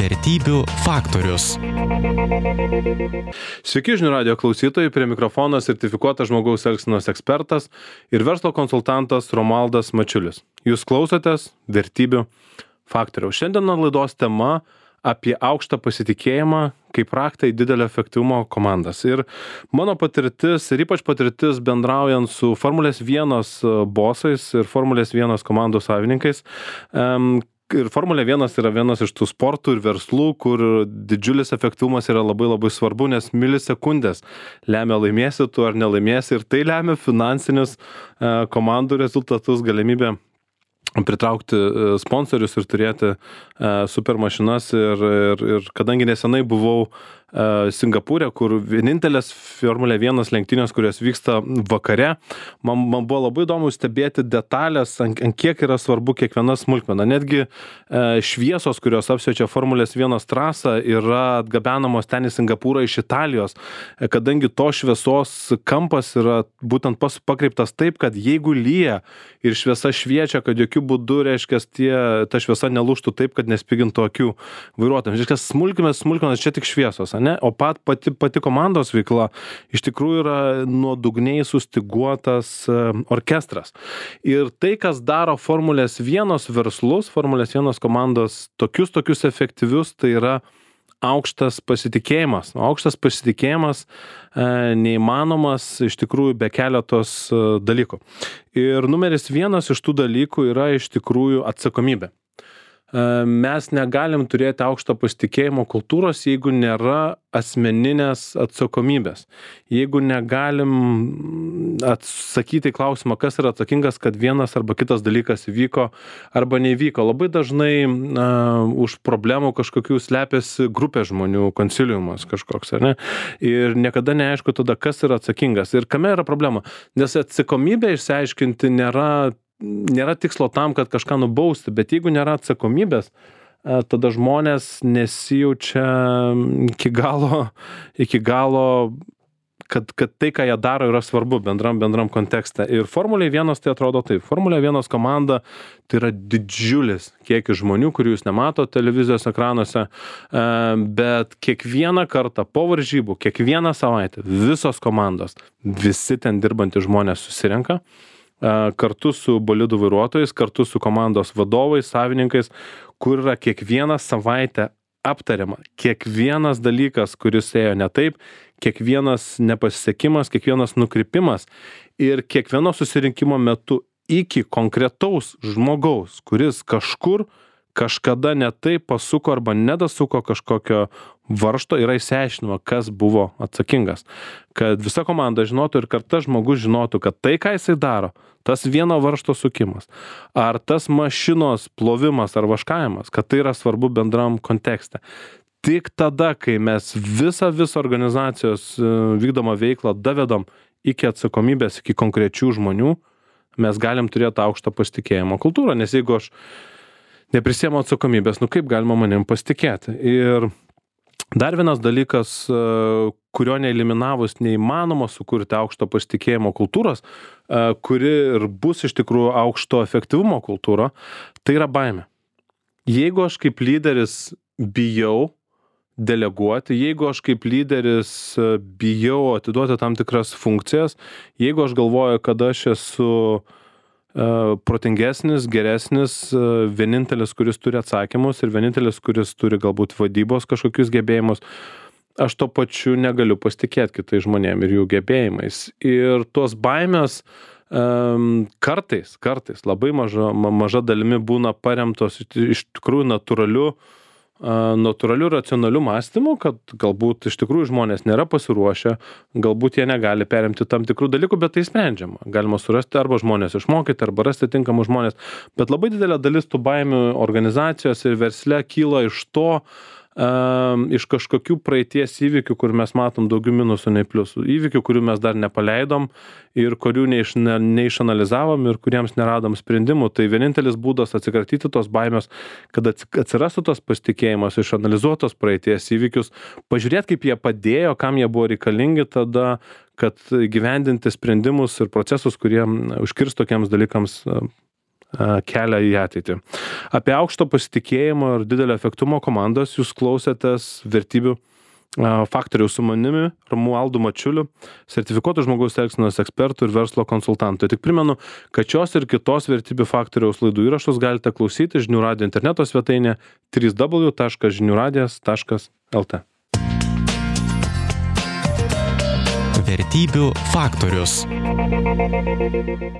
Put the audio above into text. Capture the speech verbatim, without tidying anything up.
Vertybių faktorius. Sveiki žinių radijo klausytojai, prie mikrofono sertifikuotas žmogaus elgsenos ekspertas ir verslo konsultantas Romualdas Mačiulis. Jūs klausotės Vertybių faktoriaus. Šiandien laidos tema apie aukštą pasitikėjimą kaip raktą į didelio efektyvumo komandas. Ir mano patirtis, ir ypač patirtis bendraujant su Formulės vienas bosais ir Formulės vienas komandos savininkais, um, ir Formulė vienas yra vienas iš tų sportų ir verslų, kur didžiulis efektyvumas yra labai labai svarbu, nes milisekundės lemia laimėsi tu ar nelaimėsi ir tai lemia finansinius uh, komandų rezultatus, galimybę pritraukti sponsorius ir turėti uh, super mašinas ir, ir, ir kadangi nesenai buvau uh, Singapūre, kur vienintelės Formulė vienas lenktynės, kurios vyksta vakare, man, man buvo labai įdomu stebėti detalės, ant, ant kiek yra svarbu kiekviena smulkmena. Netgi uh, šviesos, kurios apšviečia Formulės vienas trasą, yra atgabenamos ten į Singapūrą iš Italijos, kadangi to šviesos kampas yra būtent pas, pakreiptas taip, kad jeigu lyja ir šviesa šviečia, kad jokių būdų, reiškia, tie, ta šviesa nelūžtų taip, kad nespigintų akių vairuotojams. Reiškia, smulkmės, smulkmenas čia tik šviesos, ne? O pat, pati, pati komandos veikla iš tikrųjų yra nuodugniai sustiguotas orkestras. Ir tai, kas daro Formulės vienas verslus, Formulės vienas komandos tokius, tokius efektyvius, tai yra aukštas pasitikėjimas. Aukštas pasitikėjimas e, neįmanomas iš tikrųjų be keletos e, dalykų. Ir numeris vienas iš tų dalykų yra iš tikrųjų atsakomybė. E, mes negalim turėti aukšto pasitikėjimo kultūros, jeigu nėra asmeninės atsakomybės. Jeigu negalim atsakyti į klausimą, kas yra atsakingas, kad vienas arba kitas dalykas įvyko arba neįvyko. Labai dažnai uh, už problemų kažkokių slepiasi grupė žmonių, konsiliumas kažkoks, ar ne? Ir niekada neaišku tada, kas yra atsakingas. Ir kame yra problema? Nes atsakomybė išsiaiškinti nėra, nėra tikslo tam, kad kažką nubausti, bet jeigu nėra atsakomybės, tada žmonės nesijaučia iki galo, iki galo kad, kad tai, ką jie daro, yra svarbu bendram, bendram kontekste. Ir Formulė vienas tai atrodo taip. Formulė vienas komanda tai yra didžiulis kiekis žmonių, kurių jūs nematote televizijos ekranuose, bet kiekvieną kartą po varžybų, kiekvieną savaitę visos komandos, visi ten dirbantys žmonės susirenka kartu su bolidų vairuotojais, kartu su komandos vadovais, savininkais, kur yra kiekvieną savaitę aptariama. Kiekvienas dalykas, kuris ėjo ne taip, kiekvienas nepasisekimas, kiekvienas nukrypimas ir kiekvieno susirinkimo metu iki konkretaus žmogaus, kuris kažkur kažkada ne taip pasuko arba nedasuko kažkokio varžto, yra išsiaiškinama, kas buvo atsakingas. Kad visa komanda žinotų ir kad tas žmogus žinotų, kad tai, ką jisai daro, tas vieno varžto sukimas, ar tas mašinos plovimas ar vaškavimas, kad tai yra svarbu bendram kontekste. Tik tada, kai mes visą visą organizacijos vykdomą veiklą davedam iki atsakomybės, iki konkrečių žmonių, mes galim turėti aukštą pasitikėjimo kultūrą, nes jeigu aš neprisiemu atsakomybės, nu kaip galima manim pasitikėti. Ir dar vienas dalykas, kurio neeliminavus neįmanoma sukurti aukšto pasitikėjimo kultūros, kuri ir bus iš tikrųjų aukšto efektyvumo kultūra, tai yra baimė. Jeigu aš kaip lyderis bijau deleguoti, jeigu aš kaip lyderis bijau atiduoti tam tikras funkcijas, jeigu aš galvoju, kad aš esu protingesnis, geresnis, vienintelis, kuris turi atsakymus ir vienintelis, kuris turi galbūt vadybos kažkokius gebėjimus, aš to pačiu negaliu pasitikėti kitais žmonėm ir jų gebėjimais. Ir tos baimės um, kartais, kartais labai maža, maža dalimi būna paremtos iš tikrųjų natūraliu natūraliu racionaliu mąstymu, kad galbūt iš tikrųjų žmonės nėra pasiruošę, galbūt jie negali perimti tam tikrų dalykų, bet tai sprendžiama. Galima surasti arba žmonės išmokyti, arba rasti tinkamus žmonės. Bet labai didelė dalis tų baimių organizacijos ir versle kyla iš to, um, iš kažkokių praeities įvykių, kur mes matom daugiau minusų nei pliusų. Įvykių, kurių mes dar nepaleidom ir kurių neiš, ne, neišanalizavom ir kuriems neradom sprendimų. Tai vienintelis būdas atsikratyti tos baimės, kad atsirastų tos pasitikėjimas, išanalizuotos praeities įvykius, pažiūrėti, kaip jie padėjo, kam jie buvo reikalingi tada, kad gyvendinti sprendimus ir procesus, kurie užkirs tokiems dalykams kelią į ateitį. Apie aukšto pasitikėjimo ir didelio efektyvumo komandas jūs klausėtės vertybių faktoriaus su manimi, Romualdu Mačiuliu, sertifikuotų žmogaus elgsenos ekspertų ir verslo konsultantų. Tik primenu, kad šios ir kitos vertybių faktoriaus laidų įrašus galite klausyti žinių radijo interneto svetainė w w w taškas žinių radijas taškas l t. Vertybių faktorius.